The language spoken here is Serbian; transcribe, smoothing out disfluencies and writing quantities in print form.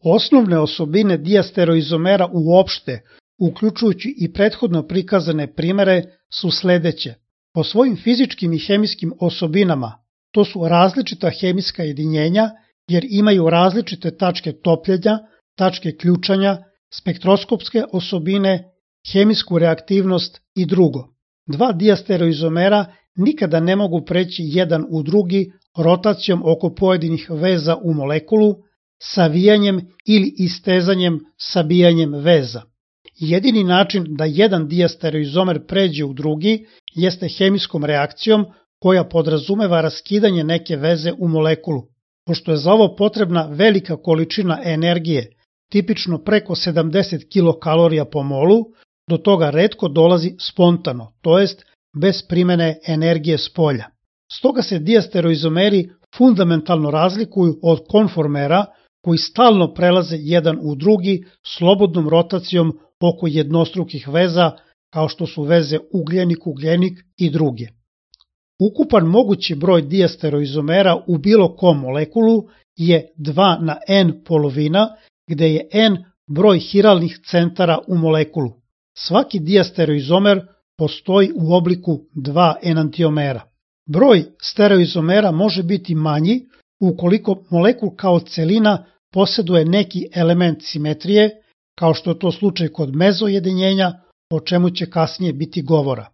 Osnovne osobine dijastereoizomera uopšte, uključujući i prethodno prikazane primere, su sledeće. Po svojim fizičkim i hemijskim osobinama, to su različita hemijska jedinjenja jer imaju različite tačke topljenja, tačke ključanja, spektroskopske osobine, hemijsku reaktivnost i drugo. Dva dijastereoizomera nikada ne mogu preći jedan u drugi rotacijom oko pojedinih veza u molekulu, savijanjem ili istezanjem sabijanjem veza. Jedini način da jedan dijastereoizomer pređe u drugi jeste hemijskom reakcijom koja podrazumeva raskidanje neke veze u molekulu. Pošto je za ovo potrebna velika količina energije, tipično preko 70 kilokalorija po molu, do toga retko dolazi spontano, to jest bez primene energije s polja. Stoga se dijastereoizomeri fundamentalno razlikuju od konformera koji stalno prelaze jedan u drugi slobodnom rotacijom oko jednostrukih veza kao što su veze ugljenik-ugljenik i druge. Ukupan mogući broj dijastereoizomera u bilo kom molekulu je 2 na n polovina, gde je n broj hiralnih centara u molekulu. Svaki dijastereoizomer postoji u obliku 2 enantiomera. Broj stereoizomera može biti manji ukoliko molekul kao celina poseduje neki element simetrije, kao što je to slučaj kod mezojedinjenja, o čemu će kasnije biti govora.